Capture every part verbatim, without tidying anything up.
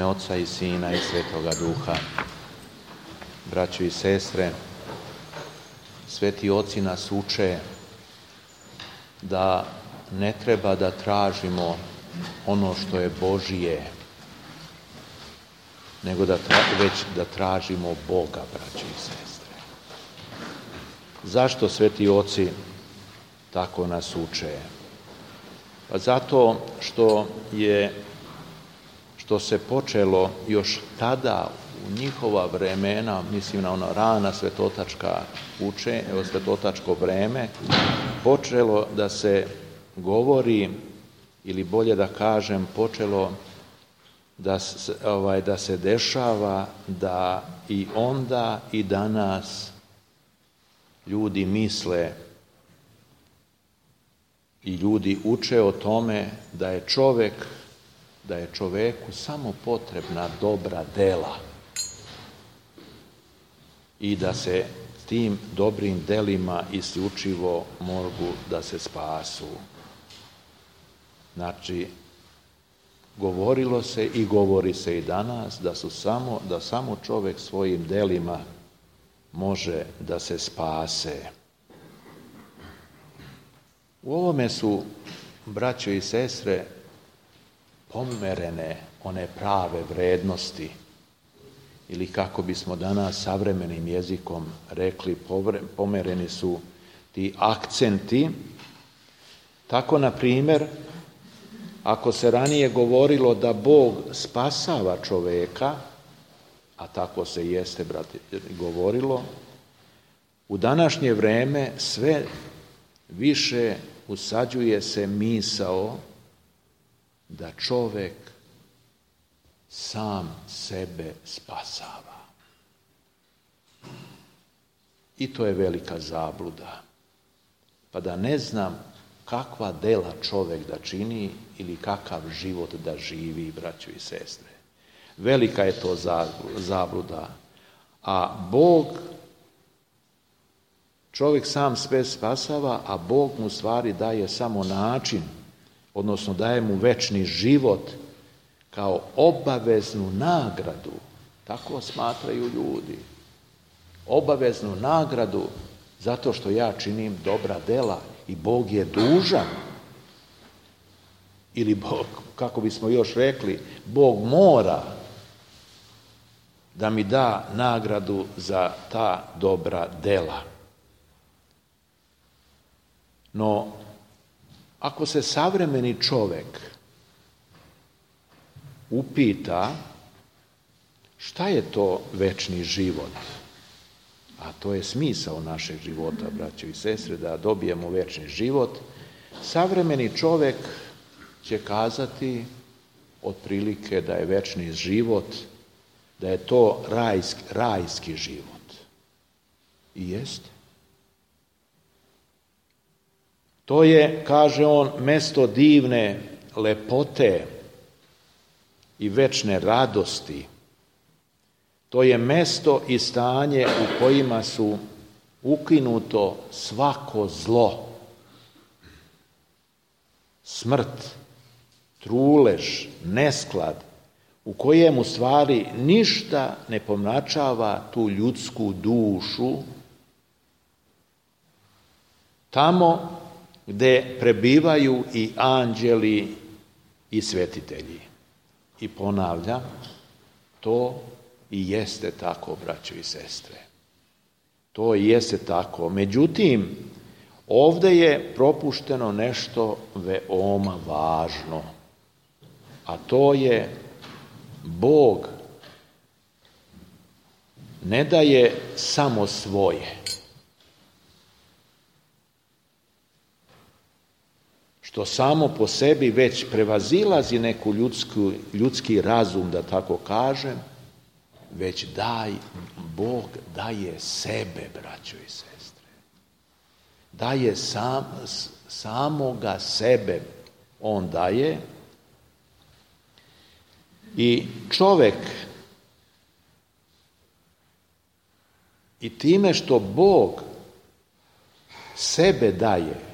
ime Oca i Sina i Svetoga Duha. Braćo i sestre, sveti oci nas uče da ne treba da tražimo ono što je Božije, nego da tra- već da tražimo Boga, braćo i sestre. Zašto sveti oci tako nas uče? Pa zato što je što se počelo još tada u njihova vremena, mislim na ono rana svetotačka uče, evo svetotačko vreme, počelo da se govori, ili bolje da kažem, počelo da se, ovaj, da se dešava da i onda i danas ljudi misle i ljudi uče o tome da je čovjek, da je čovjeku samo potrebna dobra dela i da se tim dobrim delima isključivo mogu da se spasu. Znači, govorilo se i govori se i danas da su samo, da samo čovjek svojim delima može da se spase. U ovome su, braćo i sestre, pomerene one prave vrednosti, ili kako bismo danas savremenim jezikom rekli, pomereni su ti akcenti. Tako, na primjer, ako se ranije govorilo da Bog spasava čovjeka, a tako se jeste, brate, govorilo, u današnje vrijeme sve više usađuje se misao da čovjek sam sebe spasava. I to je velika zabluda. Pa da ne znam kakva dela čovjek da čini ili kakav život da živi, braćo i sestre. Velika je to zabluda. A Bog, čovjek sam sve spasava, a Bog mu stvari daje samo način, odnosno daje mu večni život kao obaveznu nagradu. Tako smatraju ljudi. Obaveznu nagradu zato što ja činim dobra dela i Bog je dužan. Ili Bog, kako bismo još rekli, Bog mora da mi da nagradu za ta dobra dela. No, ako se savremeni čovjek upita šta je to večni život, a to je smisao našeg života, braćo i sestre, da dobijemo večni život, savremeni čovjek će kazati otprilike da je večni život, da je to rajski, rajski život. I jeste. To je, kaže on, mesto divne lepote i večne radosti. To je mesto i stanje u kojima su ukinuto svako zlo, smrt, trulež, nesklad, u kojem u stvari ništa ne pomračava tu ljudsku dušu, tamo gde prebivaju i anđeli i svetitelji. I ponavljam, to i jeste tako, braćo i sestre. To i jeste tako. Međutim, ovdje je propušteno nešto veoma važno, a to je Bog ne daje samo svoje, što samo po sebi već prevazilazi neku ljudsku, ljudski razum, da tako kažem, već daj, Bog daje sebe, braćo i sestre. Daje sam, samoga sebe, on daje. I čovjek, i time što Bog sebe daje,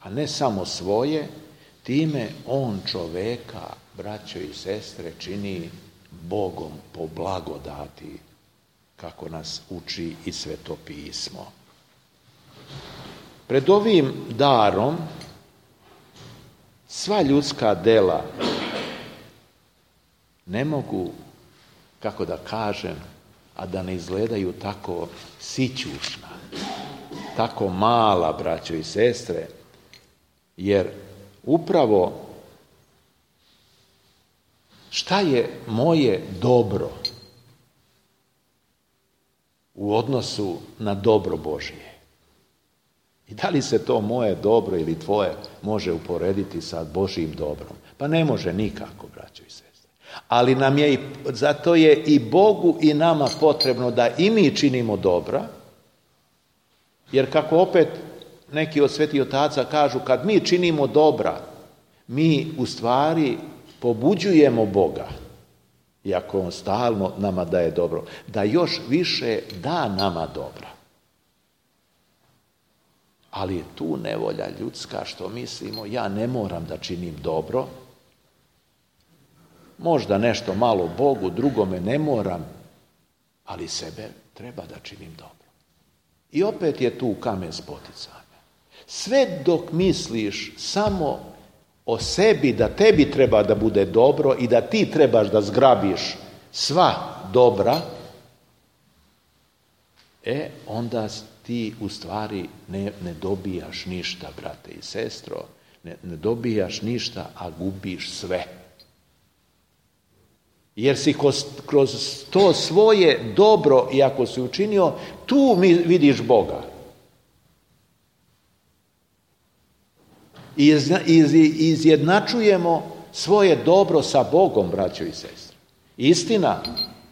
a ne samo svoje, time on čovjeka, braćo i sestre, čini Bogom po blagodati, kako nas uči i Sveto pismo. Pred ovim darom sva ljudska dela ne mogu, kako da kažem, a da ne izgledaju tako sićušna, tako mala, braćo i sestre, jer upravo šta je moje dobro u odnosu na dobro Božje? I da li se to moje dobro ili tvoje može uporediti sa Božjim dobrom? Pa ne može nikako, braćo i sestre. Ali nam je, zato je i Bogu i nama potrebno da i mi činimo dobra, jer kako opet neki od svetih otaca kažu, kad mi činimo dobra, mi u stvari pobuđujemo Boga, iako on stalno nama daje dobro, da još više da nama dobra. Ali je tu nevolja ljudska što mislimo, ja ne moram da činim dobro, možda nešto malo Bogu, drugome ne moram, ali sebe treba da činim dobro. I opet je tu kamen spoticanja. Sve dok misliš samo o sebi, da tebi treba da bude dobro i da ti trebaš da zgrabiš sva dobra, e, onda ti u stvari ne, ne dobijaš ništa, brate i sestro, ne, ne dobijaš ništa, a gubiš sve. Jer si kroz, kroz to svoje dobro, i ako si učinio, tu mi vidiš Boga. I iz, iz, izjednačujemo svoje dobro sa Bogom, braćo i sestre. Istina,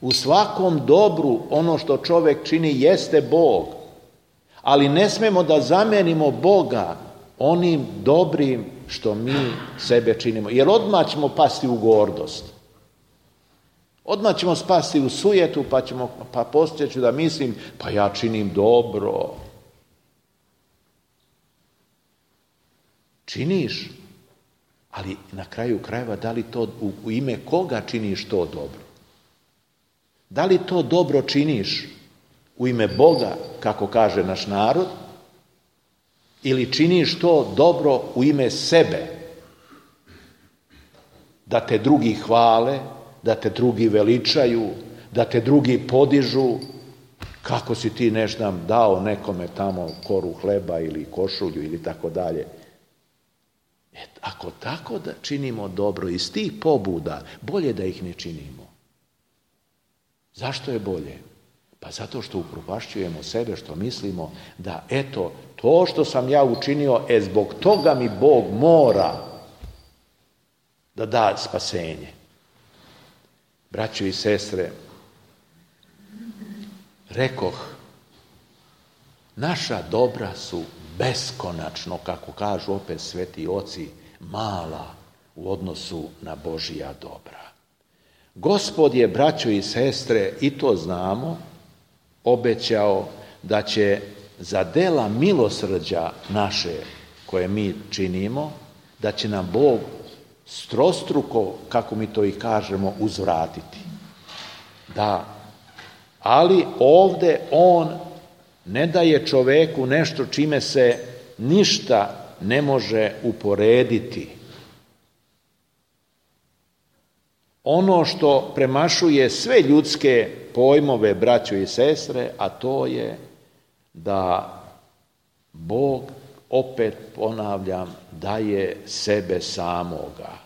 u svakom dobru ono što čovjek čini jeste Bog, ali ne smemo da zamenimo Boga onim dobrim što mi sebe činimo. Jer odmah ćemo pasti u gordost. Odmah ćemo spasti u sujetu, pa ćemo, pa poslije ću da mislim, pa ja činim dobro. Činiš, ali na kraju krajeva, da li to u, u ime koga činiš to dobro? Da li to dobro činiš u ime Boga, kako kaže naš narod, ili činiš to dobro u ime sebe? Da te drugi hvale, da te drugi veličaju, da te drugi podižu, kako si ti nešto dao nekome tamo koru hleba ili košulju ili tako dalje. Et, ako tako da činimo dobro iz tih pobuda, bolje da ih ne činimo. Zašto je bolje? Pa zato što upropašćujemo sebe, što mislimo da eto, to što sam ja učinio, e zbog toga mi Bog mora da da spasenje. Braćo i sestre, rekoh, naša dobra su beskonačno, kako kažu opet sveti oci, mala u odnosu na Božja dobra. Gospod je, braćo i sestre, i to znamo, obećao da će za dela milosrđa naše koje mi činimo, da će nam Bog strostruko, kako mi to i kažemo, uzvratiti. Da, ali ovdje on ne daje čoveku nešto čime se ništa ne može uporediti. Ono što premašuje sve ljudske pojmove, braćo i sestre, a to je da Bog, opet ponavljam, daje sebe samoga.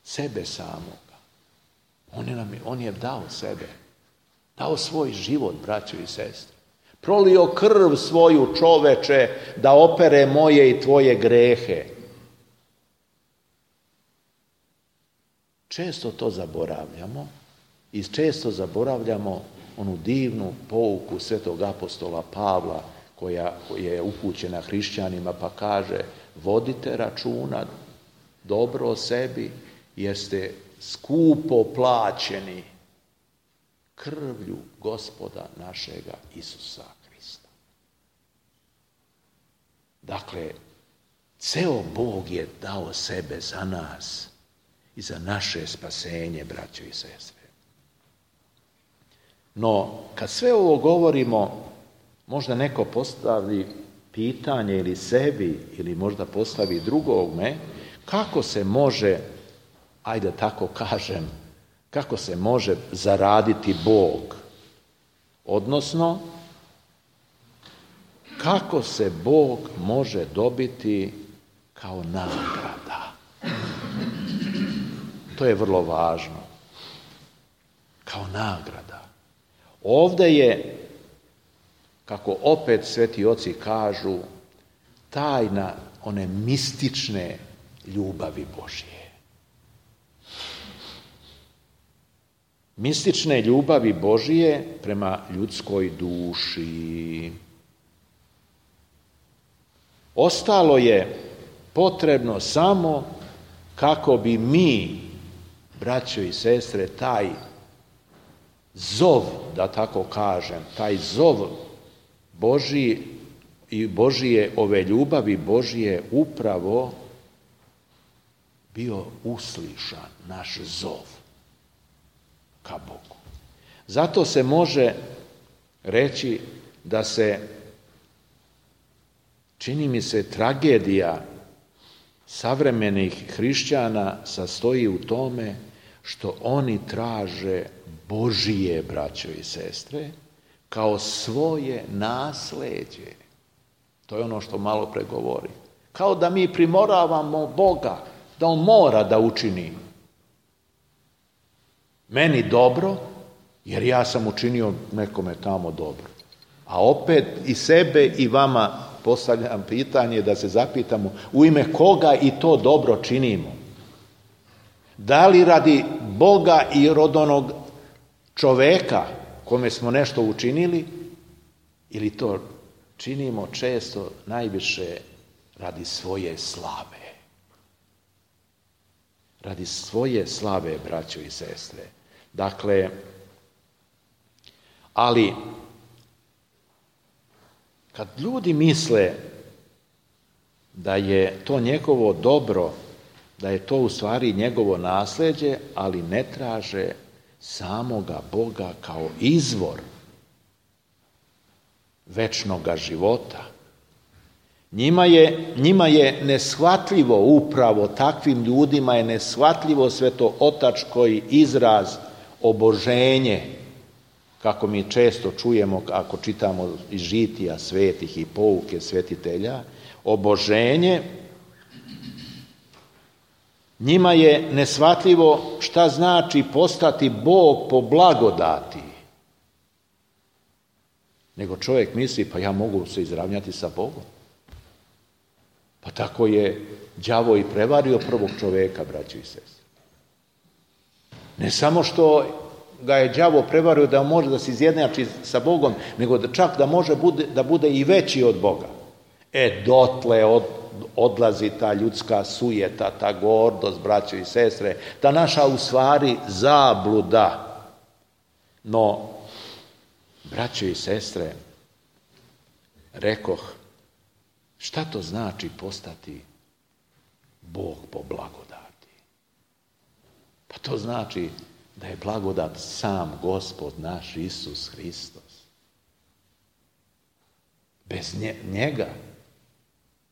Sebe samoga. On je, nam, on je dao sebe. Dao svoj život, braćo i sestre. Prolio krv svoju, čoveče, da opere moje i tvoje grehe. Često to zaboravljamo i često zaboravljamo onu divnu pouku svetog apostola Pavla koja je upućena hrišćanima, pa kaže: vodite računa dobro o sebi jer ste skupo plaćeni krvlju Gospoda našega Isusa Hrista. Dakle, ceo Bog je dao sebe za nas i za naše spasenje, braćo i sestre. No, kad sve ovo govorimo, možda neko postavi pitanje ili sebi, ili možda postavi drugome, kako se može, ajde tako kažem, kako se može zaraditi Bog? Odnosno, kako se Bog može dobiti kao nagrada? To je vrlo važno. Kao nagrada. Ovdje je, kako opet sveti oci kažu, tajna one mistične ljubavi Božje. Mistične ljubavi Božje prema ljudskoj duši. Ostalo je potrebno samo kako bi mi, braćo i sestre, taj zov, da tako kažem, taj zov Božji i Božije, ove ljubavi Božije upravo bio uslišan, naš zov ka Bogu. Zato se može reći da se, čini mi se, tragedija savremenih hrišćana sastoji u tome što oni traže Božije, braćo i sestre, kao svoje nasleđe. To je ono što malo pre govori. Kao da mi primoravamo Boga, da On mora da učini meni dobro, jer ja sam učinio nekome tamo dobro. A opet i sebe i vama postavljam pitanje da se zapitamo u ime koga i to dobro činimo. Da li radi Boga i od onog čoveka kome smo nešto učinili, ili to činimo često najviše radi svoje slave. Radi svoje slave, braćo i sestre. Dakle, ali kad ljudi misle da je to njegovo dobro, da je to u stvari njegovo nasljeđe, ali ne traže samoga Boga kao izvor večnoga života. Njima je, njima je neshvatljivo, upravo takvim ljudima je neshvatljivo svetootački izraz oboženje, kako mi često čujemo ako čitamo iz žitija svetih i pouke svetitelja. Oboženje, njima je neshvatljivo šta znači postati Bog po blagodati. Nego čovjek misli, pa ja mogu se izravnjati sa Bogom. Pa tako je đavo i prevario prvog čovjeka, braćo i sestre. Ne samo što ga je đavo prevario da može da se izjednači sa Bogom, nego da čak da može bude, da bude i veći od Boga. E, dotle od, odlazi ta ljudska sujeta, ta gordost, braćo i sestre, ta naša u stvari zabluda. No, braćo i sestre, rekoh, šta to znači postati Bog po blagodati? Pa to znači da je blagodat sam Gospod naš Isus Hristos. Bez njega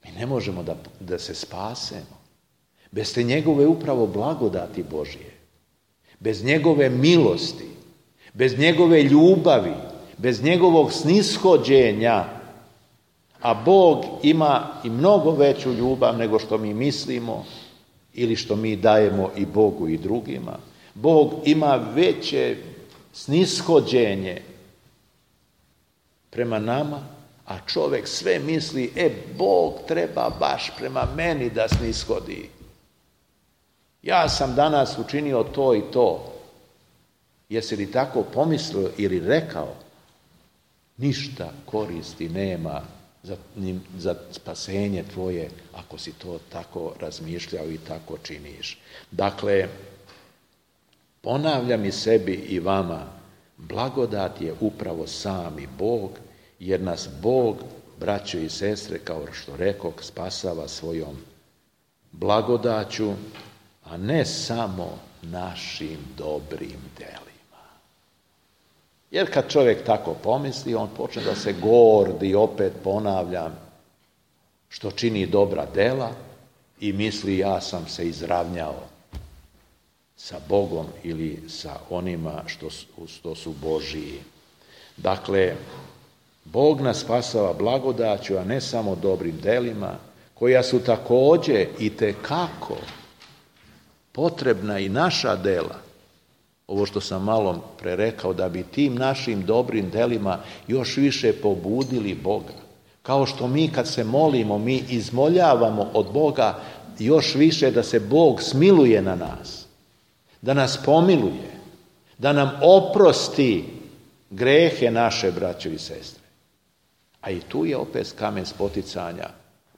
mi ne možemo da, da se spasemo. Bez te njegove upravo blagodati Božije, bez njegove milosti, bez njegove ljubavi, bez njegovog snishođenja, a Bog ima i mnogo veću ljubav nego što mi mislimo ili što mi dajemo i Bogu i drugima. Bog ima veće snishođenje prema nama, a čovjek sve misli, e, Bog treba baš prema meni da snishodi. Ja sam danas učinio to i to. Jesi li tako pomislio ili rekao? Ništa koristi nema za, za spasenje tvoje ako si to tako razmišljao i tako činiš. Dakle, ponavljam i sebi i vama, blagodat je upravo sami Bog, jer nas Bog, braćo i sestre, kao što rekoh, spasava svojom blagodaću, a a ne samo našim dobrim delima. Jer kad čovjek tako pomisli, on počne da se gordi, opet ponavljam, što čini dobra dela i misli ja sam se izravnjao sa Bogom ili sa onima što su, što su Božiji. Dakle, Bog nas spasava blagodaću, a ne samo dobrim delima, koja su također i tekako potrebna i naša dela. Ovo što sam malo prerekao, da bi tim našim dobrim delima još više pobudili Boga. Kao što mi kad se molimo, mi izmoljavamo od Boga još više da se Bog smiluje na nas, da nas pomiluje, da nam oprosti grehe naše, braćo i sestre. A i tu je opet kamen spoticanja,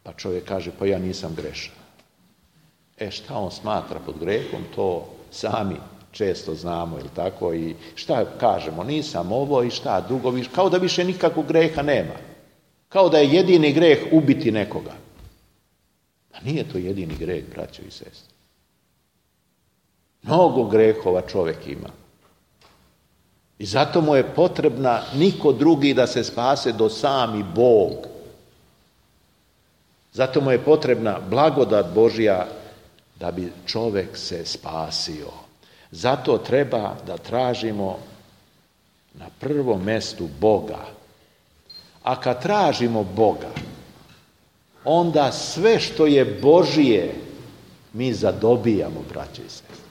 pa čovjek kaže, pa ja nisam grešan. E šta on smatra pod grehom, to sami često znamo, ili tako, i šta kažemo, nisam ovo i šta drugo, kao da više nikakvog greha nema. Kao da je jedini greh ubiti nekoga. A nije to jedini greh, braćo i sestre. Mnogo grehova čovjek ima. I zato mu je potrebna niko drugi da se spase do sami Bog. Zato mu je potrebna blagodat Božja da bi čovjek se spasio. Zato treba da tražimo na prvom mjestu Boga. A kad tražimo Boga, onda sve što je Božije mi zadobijamo, braće i sestre.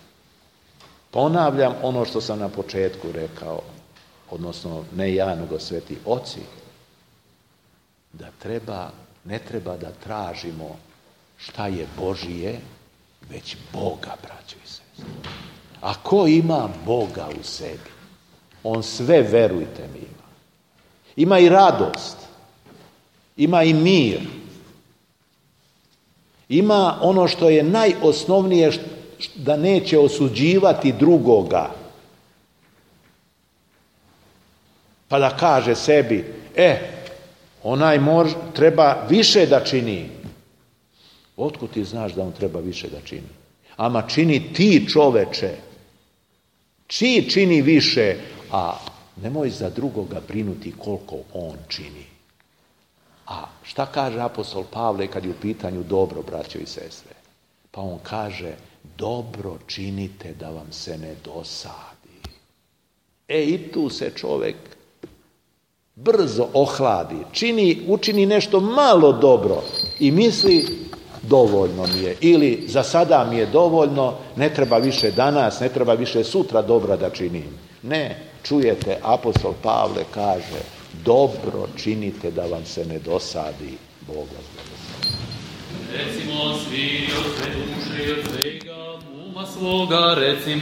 Ponavljam ono što sam na početku rekao, odnosno ne ja, nego sveti oci, da treba, ne treba da tražimo šta je Božije, već Boga, braće i sestre. A ko ima Boga u sebi, on sve, verujte mi, ima. Ima i radost, ima i mir, ima ono što je najosnovnije, da neće osuđivati drugoga. Pa da kaže sebi, e, onaj mož, treba više da čini. Otkud ti znaš da on treba više da čini? Ama čini ti, čoveče. Čiji čini više, a nemoj za drugoga brinuti koliko on čini. A šta kaže apostol Pavle kad je u pitanju dobro, braćo i sestre? Pa on kaže, dobro činite da vam se ne dosadi. E i tu se čovjek brzo ohladi, čini, učini nešto malo dobro i misli dovoljno mi je, ili za sada mi je dovoljno, ne treba više danas, ne treba više sutra dobra da činim. Ne, čujete, apostol Pavle kaže, dobro činite da vam se ne dosadi. Bog vas blagoslovi. Recimo svi od sve duše i od svega uma svoga, recimo